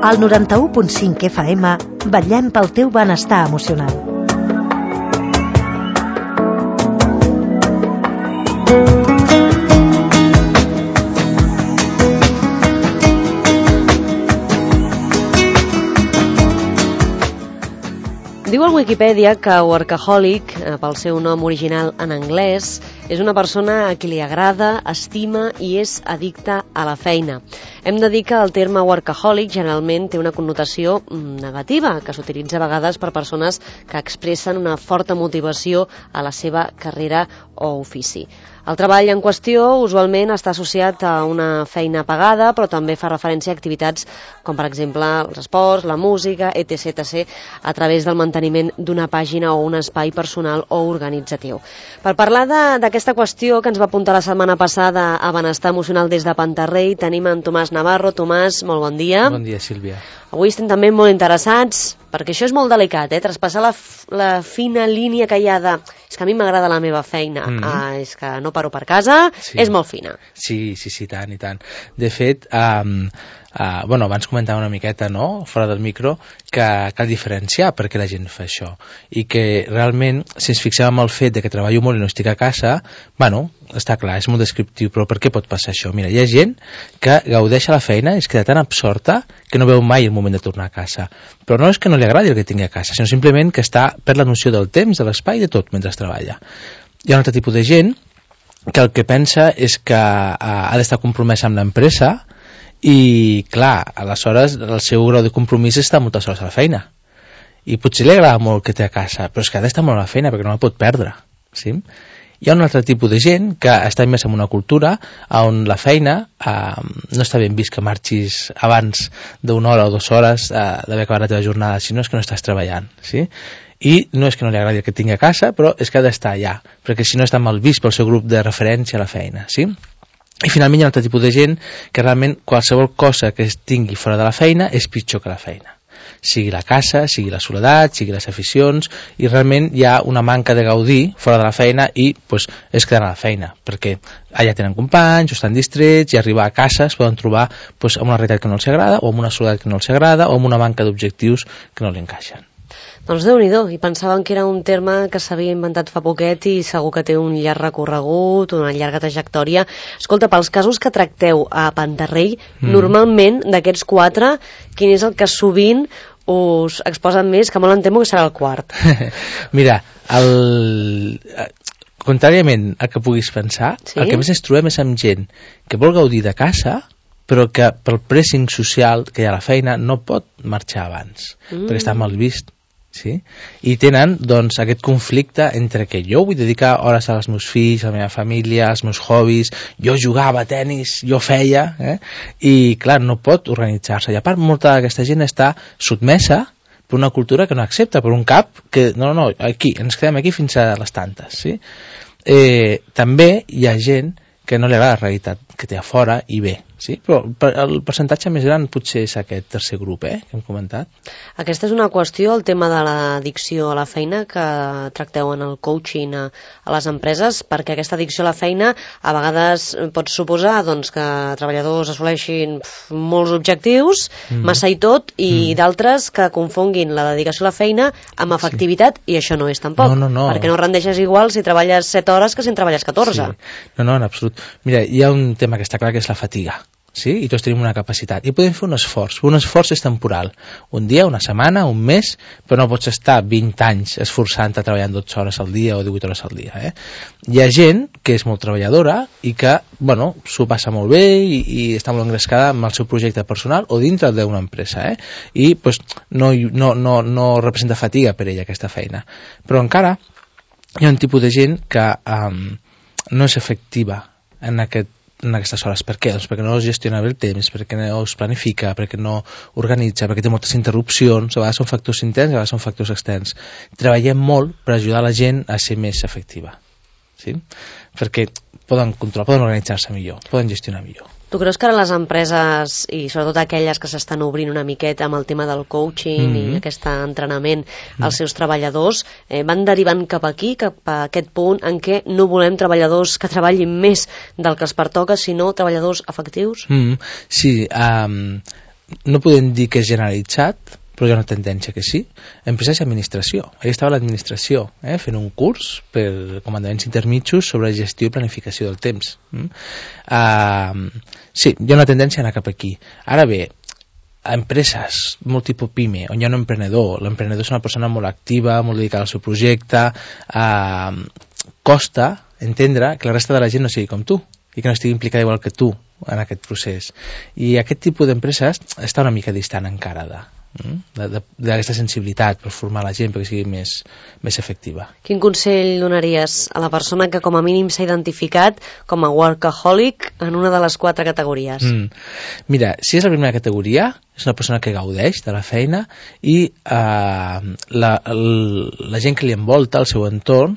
Al 91.5 FM vetllem pel teu benestar emocional. Diu al Wikipedia que workaholic, pel seu nom original en anglès, és una persona a qui li agrada, estima i és addicta a la feina. Hem de dir que el terme workaholic generalment té una connotació negativa, que s'utilitza a vegades per persones que expressen una forta motivació a la seva carrera o ofici. El treball en qüestió usualment està associat a una feina pagada, però també fa referència a activitats com, per exemple, els esports, la música, etc., a través del manteniment d'una pàgina o un espai personal o organitzatiu. Per parlar d'aquesta qüestió que ens va apuntar la setmana passada a Benestar Emocional des de Pantarrei, tenim en Tomàs Navarro. Tomàs, molt bon dia. Bon dia, Sílvia. Avui estem també molt interessats, perquè això és molt delicat, traspassar la fina línia que hi ha de... És que a mi m'agrada la meva feina, és que no paro per casa, sí. És molt fina. Sí, tant i tant. De fet, abans comentava una miqueta, no?, fora del micro, que cal diferenciar per què la gent fa això. I que realment, si ens fixem en el fet de que treballo molt i no estic a casa, està clar, és molt descriptiu, però per què pot passar això? Mira, hi ha gent que gaudeix a la feina i es queda tan absorta que no veu mai el moment de tornar a casa. Però no és que no li agradi el que tingui a casa, sinó simplement que està per la noció del temps, de l'espai, de tot, mentre treballa. Hi ha un altre tipus de gent que el que pensa és que ha d'estar compromesa amb l'empresa i, clar, aleshores el seu grau de compromís està moltes hores a la feina. I potser li agrada molt que té a casa, però és que ha d'estar molt a la feina perquè no la pot perdre. Sí? Hi ha un altre tipus de gent que està immersa en una cultura on la feina no està ben vist que marxis abans d'una hora o 2 hores d'haver acabat la teva jornada, sinó és que no estàs treballant. Sí? I no és que no li agradi el que tingui a casa, però és que ha d'estar allà, perquè si no està mal vist pel seu grup de referència a la feina. Sí? I finalment hi ha un altre tipus de gent que realment qualsevol cosa que es tingui fora de la feina és pitjor que la feina. Sigui la casa, sigui la soledat, sigui les aficions, i realment hi ha una manca de gaudir fora de la feina i es queden a la feina, perquè allà tenen companys, o estan distrets, i arribar a casa es poden trobar amb una realitat que no els agrada, o amb una soledat que no els agrada, o amb una manca d'objectius que no li encaixen. Doncs Déu-n'hi-do, i pensaven que era un terme que s'havia inventat fa poquet i segur que té un llarg recorregut, una llarga trajectòria. Escolta, pels casos que tracteu a Pantarrei, normalment d'aquests 4, quin és el que sovint us exposen més, que molt em temo que serà el quart? Mira, contràriament al que puguis pensar, sí? El que més ens trobem és amb gent que vol gaudir de casa, però que pel pressing social que hi ha a la feina no pot marxar abans, perquè està mal vist. Sí? I tenen aquest conflicte entre que jo vull dedicar hores als meus fills, a la meva família, als meus hobbies, jo jugava a tenis, jo feia, i clar, no pot organitzar-se. I a part, molta d'aquesta gent està sotmesa per una cultura que no accepta, per un cap que no, aquí, ens quedem aquí fins a les tantes. Sí? També hi ha gent que no li agrada la realitat que té a fora i bé, sí? Però el percentatge més gran potser és aquest tercer grup que hem comentat. Aquesta és una qüestió, el tema de l'addicció a la feina, que tracteu en el coaching a les empreses, perquè aquesta addicció a la feina a vegades pot suposar que treballadors assoleixin molts objectius, massa i tot, i d'altres que confonguin la dedicació a la feina amb efectivitat, i això no és tampoc, perquè no rendeixes igual si treballes 7 hores que si en treballes 14. Sí. No, en absolut. Mira, hi ha un tema que està clar, que és la fatiga, sí? I tots tenim una capacitat, i podem fer un esforç és temporal, un dia, una setmana, un mes, però no pots estar 20 anys esforçant-te treballant 12 hores al dia o 18 hores al dia. Hi ha gent que és molt treballadora i que, s'ho passa molt bé i està molt engrescada amb el seu projecte personal o dintre d'una empresa, i no representa fatiga per ella aquesta feina. Però encara hi ha un tipus de gent que no és efectiva en aquestes hores. Per què? Doncs perquè no es gestiona bé el temps, perquè no es planifica, perquè no organitza, perquè té moltes interrupcions, a vegades són factors interns, a vegades són factors externs. Treballem molt per ajudar la gent a ser més efectiva, sí? Perquè poden controlar, poden organitzar-se millor, poden gestionar millor. Tu creus que ara les empreses, i sobretot aquelles que s'estan obrint una miqueta amb el tema del coaching i aquest entrenament als seus treballadors, van derivant cap aquí, cap a aquest punt en què no volem treballadors que treballin més del que els pertoca, sinó treballadors efectius? Sí, no podem dir que és generalitzat, però hi ha una tendència que sí. Empreses i administració. Ahí estava l'administració, fent un curs per comandaments intermitjos sobre gestió i planificació del temps. Sí, hi ha una tendència a anar cap aquí. Ara bé, a empreses, molt tipus PIME, on hi ha un emprenedor, l'emprenedor és una persona molt activa, molt dedicada al seu projecte, costa entendre que la resta de la gent no sigui com tu i que no estigui implicada igual que tu en aquest procés. I aquest tipus d'empreses està una mica distant encara d'aquesta sensibilitat per formar la gent perquè sigui més efectiva. Quin consell donaries a la persona que com a mínim s'ha identificat com a workaholic en una de les 4 categories? Mira, si és la primera categoria, és una persona que gaudeix de la feina i la gent que li envolta, el seu entorn,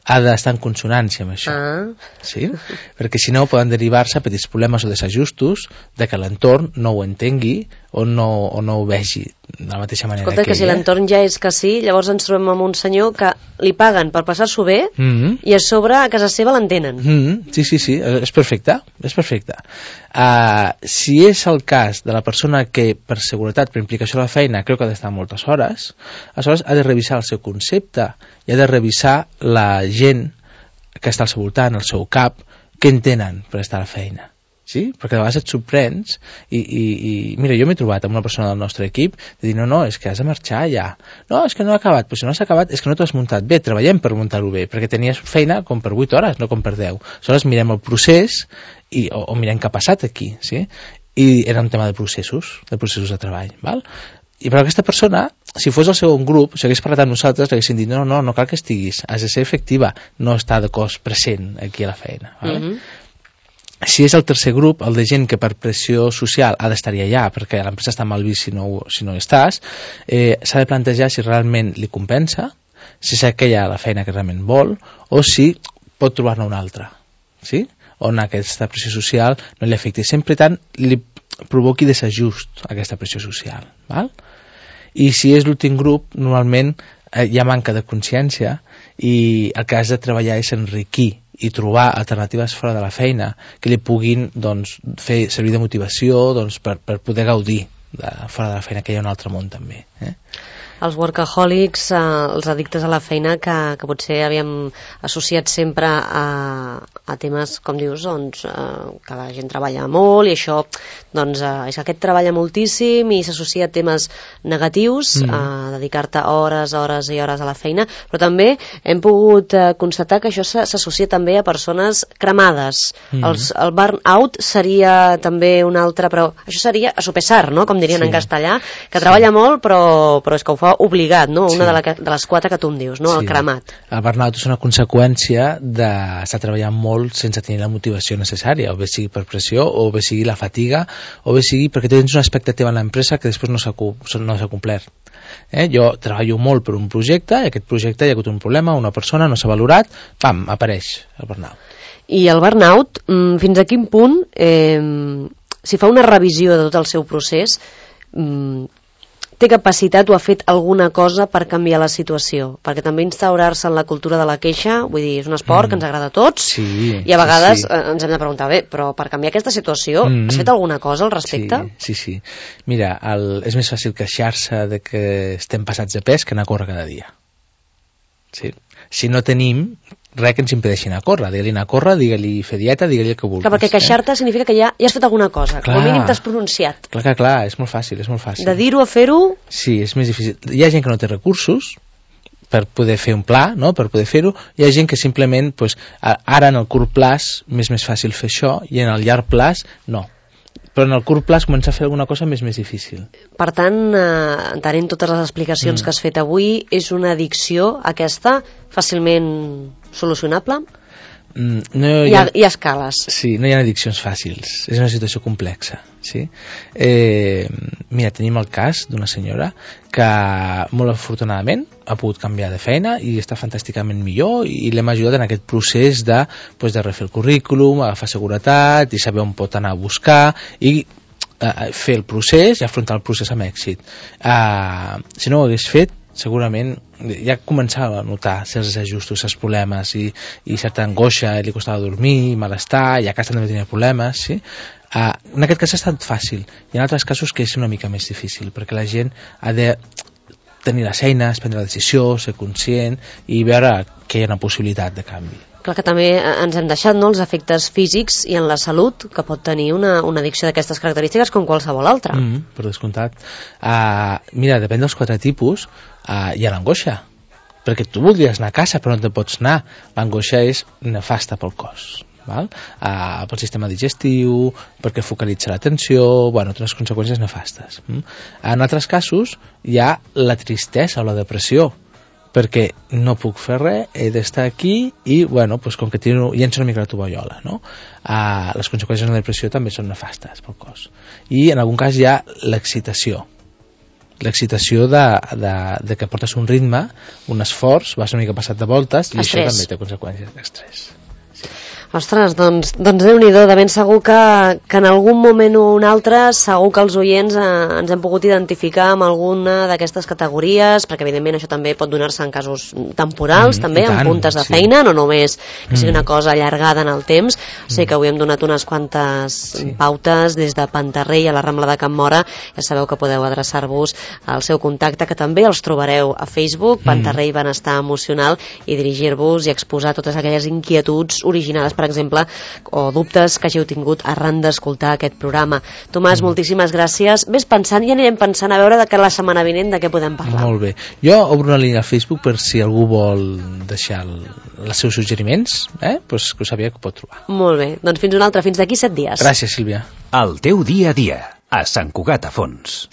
ha d'estar en consonància amb això. Sí? Perquè si no poden derivar-se petits problemes o desajustos de que l'entorn no ho entengui o no ho vegi de la mateixa manera. Escolta, que si l'entorn ja és que sí, llavors ens trobem amb un senyor que li paguen per passar-s'ho bé i a sobre a casa seva l'entenen. Sí, és perfecte. Si és el cas de la persona que per seguretat, per implicació a la feina, creu que ha d'estar moltes hores, aleshores ha de revisar el seu concepte i ha de revisar la gent que està al seu voltant, al seu cap, què entenen per estar a la feina. Sí? Perquè a vegades et sorprens i mira, jo m'he trobat amb una persona del nostre equip de dir, no, és que has de marxar ja, no, és que no ha acabat, però si no has acabat és que no t'ho has muntat bé, treballem per muntar-ho bé perquè tenies feina com per 8 hores, no com per 10. Aleshores mirem el procés o mirem què ha passat aquí, sí? I era un tema de processos de treball, val? I per aquesta persona, si fos el segon grup, si hagués parlat amb nosaltres, li haguessin dit, no cal que estiguis, has de ser efectiva, no estar de cos present aquí a la feina. Vale? Si és el tercer grup, el de gent que per pressió social ha d'estar allà, perquè l'empresa està mal vist si no estàs, s'ha de plantejar si realment li compensa, si és aquella la feina que realment vol, o si pot trobar-ne una altra, sí? On aquesta pressió social no li afecti. Sempre tant li provoqui desajust aquesta pressió social. Val? I si és l'últim grup, normalment hi ha manca de consciència i el que has de treballar és enriquir i trobar alternatives fora de la feina que li puguin fer servir de motivació per poder gaudir fora de la feina, que hi ha un altre món també. Els workaholics, els addictes a la feina que potser havíem associat sempre a temes, com dius, que la gent treballa molt i això, és que aquest treballa moltíssim i s'associa a temes negatius, a dedicar-te hores i hores a la feina, però també hem pogut constatar que això s'associa també a persones cremades. El burnout seria també un altre, però això seria a sopesar, no? Com dirien en castellà, que treballa molt però és que ho fa obligat, no? Una de les 4 que tu em dius, no? El cremat. El burnout és una conseqüència d'estar treballant molt sense tenir la motivació necessària, o bé sigui per pressió, o bé sigui la fatiga, o bé sigui perquè tens una expectativa en l'empresa que després no s'ha complert. Jo treballo molt per un projecte i aquest projecte hi ha hagut un problema, una persona no s'ha valorat, pam, apareix el burnout. I el burnout, fins a quin punt, si fa una revisió de tot el seu procés, té capacitat o ha fet alguna cosa per canviar la situació? Perquè també instaurar-se en la cultura de la queixa, vull dir, és un esport que ens agrada a tots, i a vegades ens hem de preguntar, bé, però per canviar aquesta situació has fet alguna cosa al respecte? Sí. Mira, és més fàcil queixar-se de que estem passats de pes que anar a córrer cada dia. Sí. Si no tenim res que ens impedeixi anar a córrer, digue-li anar a córrer, digue-li fer dieta, digue-li el que vulguis. Clar, perquè queixar-te significa que ja has fet alguna cosa, com a mínim t'has pronunciat. Clar, és molt fàcil. De dir-ho a fer-ho... Sí, és més difícil. Hi ha gent que no té recursos per poder fer un pla, no? Per poder fer-ho. Hi ha gent que simplement, ara en el curt plaç m'és més fàcil fer això i en el llarg plaç no. Però en el curt plaç començar a fer alguna cosa més difícil. Per tant, entenent totes les explicacions que has fet avui, és una addicció aquesta fàcilment solucionable? Hi ha escales. Sí, no hi ha addiccions fàcils. És una situació complexa. Sí? Mira, tenim el cas d'una senyora que molt afortunadament ha pogut canviar de feina i està fantàsticament millor i l'hem ajudat en aquest procés de refer el currículum, agafar seguretat i saber on pot anar a buscar i fer el procés i afrontar el procés amb èxit. Si no ho hagués fet, segurament ja començava a notar certs ajustos, certs problemes i certa angoixa, li costava dormir, malestar, i a casa també tenia problemes, sí? En aquest cas ha estat fàcil, i en altres casos que és una mica més difícil, perquè la gent ha de tenir les eines, prendre la decisió, ser conscient i veure que hi ha una possibilitat de canvi. Clar que també ens hem deixat, no?, els efectes físics i en la salut que pot tenir una addicció d'aquestes característiques com qualsevol altra. Per descomptat. Mira, depèn dels 4 tipus, hi ha l'angoixa, perquè tu voldries anar a casa però no te pots anar. L'angoixa és nefasta pel cos, val? Pel sistema digestiu, perquè focalitza l'atenció, té unes conseqüències nefastes. En altres casos hi ha la tristesa o la depressió, perquè no puc fer res, he d'estar aquí i, com que llenço una mica la tovallola, no? Les conseqüències de la depressió també són nefastes pel cos. I en algun cas hi ha l'excitació de que portes un ritme, un esforç, vas una mica passat de voltes, i això també té conseqüències d'estrès. Ostres, doncs Déu-n'hi-do, de ben segur que en algun moment o un altre segur que els oients ens hem pogut identificar amb alguna d'aquestes categories, perquè evidentment això també pot donar-se en casos temporals, també, en puntes de feina, no només que sigui una cosa allargada en el temps. Sé que avui hem donat unes quantes pautes des de Pantarrey a la Rambla de Can Móra. Ja sabeu que podeu adreçar-vos al seu contacte, que també els trobareu a Facebook, Pantarrey Benestar Emocional, i dirigir-vos i exposar totes aquelles inquietuds originades, per exemple, o dubtes que hàgiu tingut arran d'escoltar aquest programa. Tomàs, moltíssimes gràcies. Ves pensant i anirem pensant a veure de cara a la setmana vinent de què podem parlar. Molt bé. Jo obro una línia a Facebook per si algú vol deixar els seus suggeriments, que ho sàpiga que ho pot trobar. Molt bé. Doncs fins una altra, fins d'aquí 7 dies. Gràcies, Sílvia. El teu dia a dia, a Sant Cugat a Fons.